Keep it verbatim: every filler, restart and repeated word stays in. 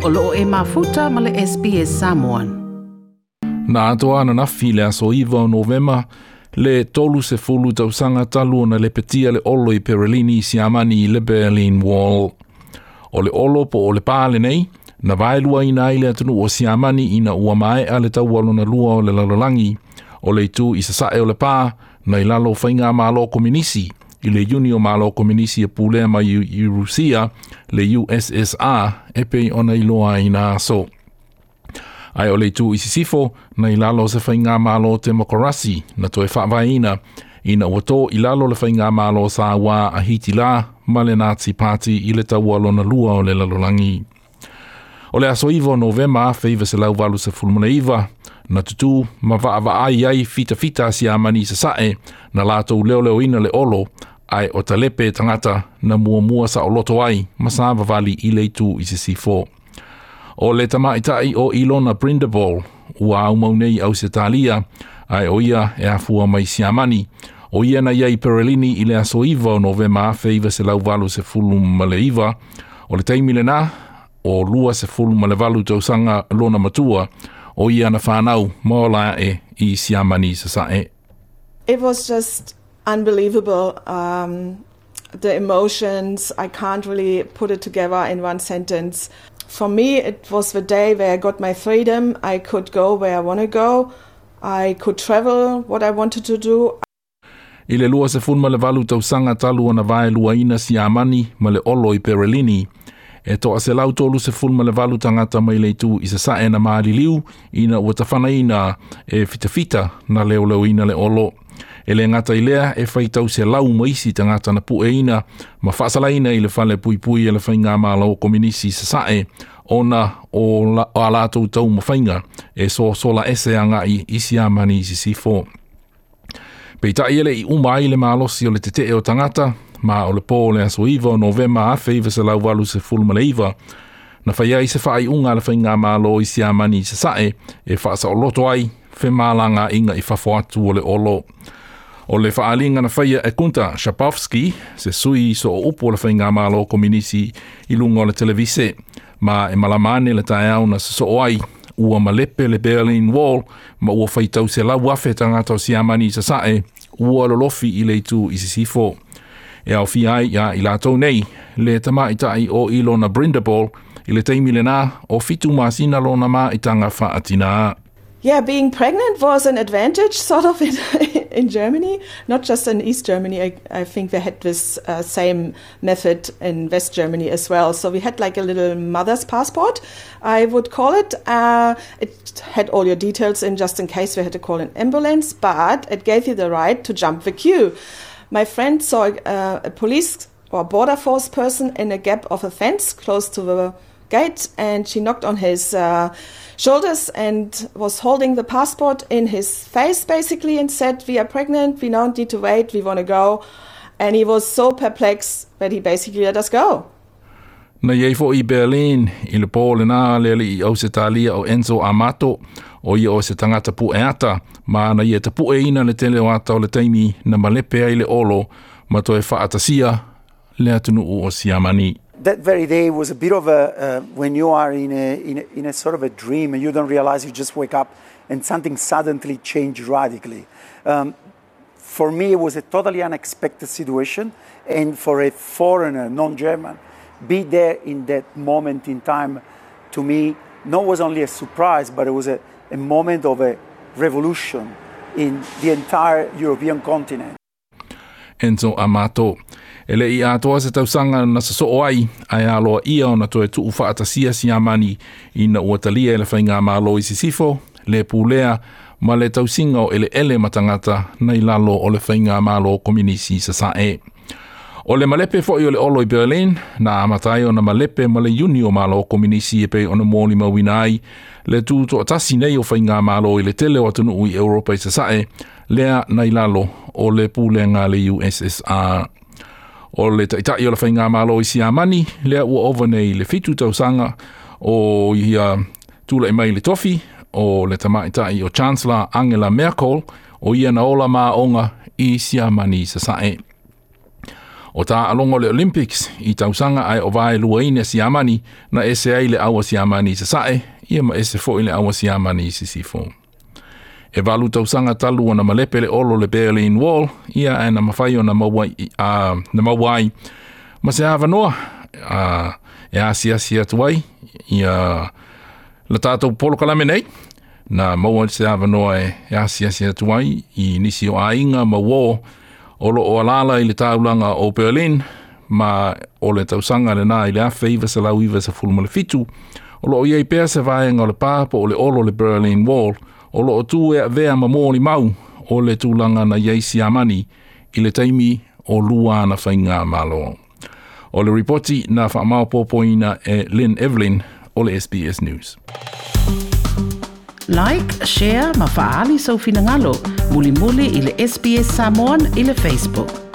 O loo e mafuta ma le S B S Samoan. Na atoa na nafi le aso iva o Novema, le tolu se fulu tausaga talu ona lepetia le olo i Perelini Siamani i le Berlin Wall. O le olo po o le pā lenei, na vaelua ina ai le atunuu o Siamani ina ua maea le taua lona lua o le lalolagi, o le itu i sasae o le pā, na i lalo o faigamalo kominisi, i le Iuni o Malo Kominisi e pulea mai i Rusia, le U S S R, e pei ona iloa ai na aso. Ae o le itu i sisifo, na i lalo o se faigamalo temokarasi, na toe faavaeina, ina ua tō i lalo le faigamalo sa ua a Hitila ma le Nazi Party i le taua lona lua o le lalolagi. O le aso iva o Novema afe iva selau valu sefulu ma le iva, na tutū ma vaavaai ai fitafita a Siamani sasae, na latou leoleoina le olo, ae o talepe tangata na muamua sa oloto ai, ma sa vavali i le itu i sisifo. O le tamaitai o Ilona Prindable, ua aumau nei au Setalia, ae o ia e afua mai Siamani. O ia na iai Perelini i le aso iva o Novema afe iva selau valu sefulu ma le iva. O le taimi lena, o lua sefulu ma le valu tausaga lona matua, o ia na whanau ma ola e i Siamani sasae. It was just unbelievable. Um, the emotions, I can't really put it together in one sentence. For me, it was the day where I got my freedom. I could go where I wanna go. I could travel what I wanted to do. I le lua sefulu ma le valu tausaga talu ona vaeluaina Siamani ma le olo i Perelini, e toa selau tolu sefulu ma le valu tangata mai le itu i sasae na maaliliu ina ua tafanaina e fitafita na leoleoina le olo. E le ngata i lea e whaitau se lau maisi tangata na pueina ma whaasalaina i le fale puipui e le whainga malo kominisi sasae ona o la, o a latou tau mawhainga e so sola ese anga i i Siamani i sisifo. Peitai ele i uma ai le malosi o le tetee o tangata, ma o le pō le aso iva o Novema afe iva selau valu sefulu ma le iva, na whai ai se whaai unga le whainga malo i Siamani i sasae e whaasaoloto ai whemalanga inga i fafo atu o le olo. O le whaalinga na whaia e Kunta Shapovsky, se sui so o upu o le whainga malo kominisi i lunga o le televise, ma e malamane le taeao na so o ai, ua malepe le Berlin Wall, ma ua whaitau se lau afe tangata o Siamani i sasae, ua lolofi i le itu i sisifo. E au fia ai ia i latou nei, le tamaitai o Ilona Prindable, i le taimi lena o fitu masina lona maitaga faatinā. Yeah, being pregnant was an advantage, sort of, in, in Germany, not just in East Germany. I, I think they had this, uh, same method in West Germany as well. So we had like a little mother's passport, I would call it. Uh, it had all your details in just in case we had to call an ambulance, but it gave you the right to jump the queue. My friend saw, uh, a police or border force person in a gap of a fence close to the gate, and she knocked on his, uh, shoulders and was holding the passport in his face, basically, and said, We are pregnant, we don't need to wait, we wanna go. And he was so perplexed that he basically let us go. Na iai fo i Berlin, i le pō le nā le ali i Ausetalia o Enzo Amato, o ia o se tangata pueata, ma na ia te pueina le tele o ata o le taimi na malepe ai le olo, ma toe whaatasia le atunuu o Siamani. That very day was a bit of a, uh, when you are in a, in a, in a sort of a dream and you don't realize, you just wake up and something suddenly changed radically. Um, for me, it was a totally unexpected situation, and for a foreigner, non-German, be there in that moment in time, to me, not was only a surprise, but it was a, a moment of a revolution in the entire European continent. Enzo Amato. E le i atoa se tausaga na sasoo ai, ae aloa ia ona toe tuu faatasia Siamani ina ua talia e le faigamalo i sisifo, le pulea ma le tausiga o eleele ma tagata na i lalo o le faigamalo kominisi sasae. O le malepe foi o le olo i Berlin, na amata ai ona malepe ma le Iuni o Malo Kominisi e pei ona molimauina ai le tutoatasi nei o faigamalo i le tele o atunuu i Europa i sasae, lea na i lalo o le pulega le U S S R. O le taitai o le faigamalo i Siamani, lea ua ova nei le fitu tausaga o ia tula'i mai le tofi o le tamaitai o Chancellor Angela Merkel, o ia na ola maonga i Siamani sasae. O taaloga o le Olympics i tausaga ae o vaeluaina Siamani na ese ai le aua Siamani i sasae, ia ma ese foʻi le aua Siamani i sisifo. E valu tausaga talu ona malepe le olo le Berlin Wall, ia ae na mafai ona maua, uh, na maua ai ma se avanoa uh, e asiasi atu ai ia la tatou polokalame nei na maua se avanoa e, e asiasi atu ai i nisi o aiga ma uō o loo alaala i le taulaga o Berlin ma o le tausaga lenā i le afe iva selau iva sefulu ma le fitu o loo iai pea se vaega o le pā po o le olo le Berlin Wall o loo tu e avea ma molimau o le tulaga na iai Siamani i le taimi o lua ana faigamalo. O le ripoti na faamaopoopoina e Lynn Evelyn o le S B S News. Like, share ma faaali sou finagalo. Mulimuli i le S B S Samoan i le Facebook.